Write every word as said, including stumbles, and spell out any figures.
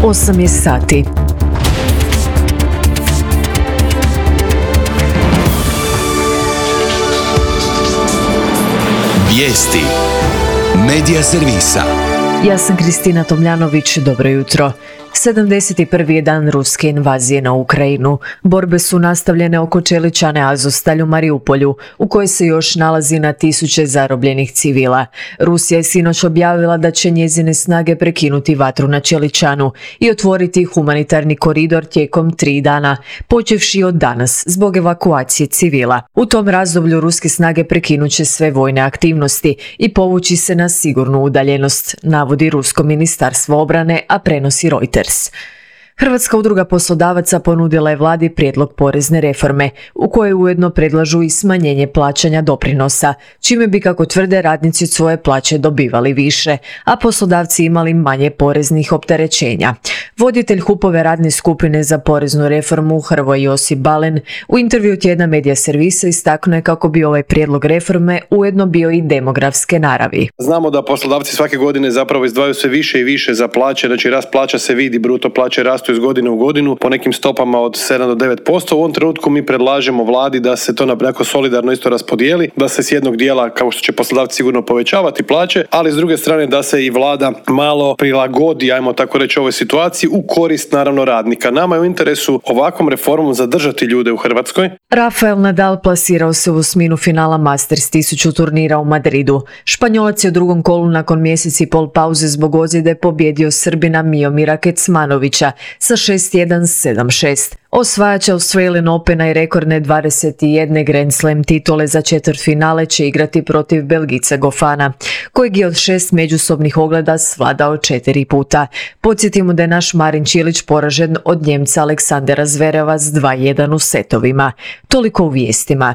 osam je sati. Vijesti Medija servisa. Ja sam Kristina Tomljanović, dobro jutro. sedamdeset prvi je dan ruske invazije na Ukrajinu. Borbe su nastavljene oko čeličane Azovstalj u Mariupolju, u kojoj se još nalazi na tisuće zarobljenih civila. Rusija je sinoć objavila da će njezine snage prekinuti vatru na čeličanu i otvoriti humanitarni koridor tijekom tri dana, počevši od danas, zbog evakuacije civila. U tom razdoblju ruske snage prekinut će sve vojne aktivnosti i povući se na sigurnu udaljenost, navodi Rusko ministarstvo obrane, a prenosi Reuters. Hrvatska udruga poslodavaca ponudila je vladi prijedlog porezne reforme, u kojoj ujedno predlažu i smanjenje plaćanja doprinosa, čime bi, kako tvrde, radnici od svoje plaće dobivali više, a poslodavci imali manje poreznih opterećenja. Voditelj HUP-ove radne skupine za poreznu reformu Hrvoje Josip Balen u intervju tjedna Medija servisa istaknuo je kako bi ovaj prijedlog reforme ujedno bio i demografske naravi. Znamo da poslodavci svake godine zapravo izdvajaju sve više i više za plaće, znači rast plaća se vidi, bruto plaće rastu iz godine u godinu po nekim stopama od sedam do devet posto. U ovom trenutku mi predlažemo vladi da se to nekako solidarno isto raspodijeli, da se s jednog dijela, kao što će poslodavci sigurno povećavati plaće, ali s druge strane da se i vlada malo prilagodi, ajmo tako reći, ovoj situaciji u korist naravno radnika. Nama je u interesu ovakvom reformom zadržati ljude u Hrvatskoj. Rafael Nadal plasirao se u osminu finala Masters tisuću turnira u Madridu. Španjolac je u drugom kolu nakon mjeseci i pol pauze zbog ozljede pobjedio Srbina Miomira Kecmanovića sa šest jedan sedam šest. Osvajač Australian Opena i rekordne dvadeset jedne Grand Slam titule za četvrtfinale će igrati protiv Belgica Gofana, kojeg je od šest međusobnih ogleda svladao četiri puta. Podsjetimo da je naš Marin Čilić poražen od Njemca Aleksandera Zvereva s dva jedan u setovima. Toliko u vijestima.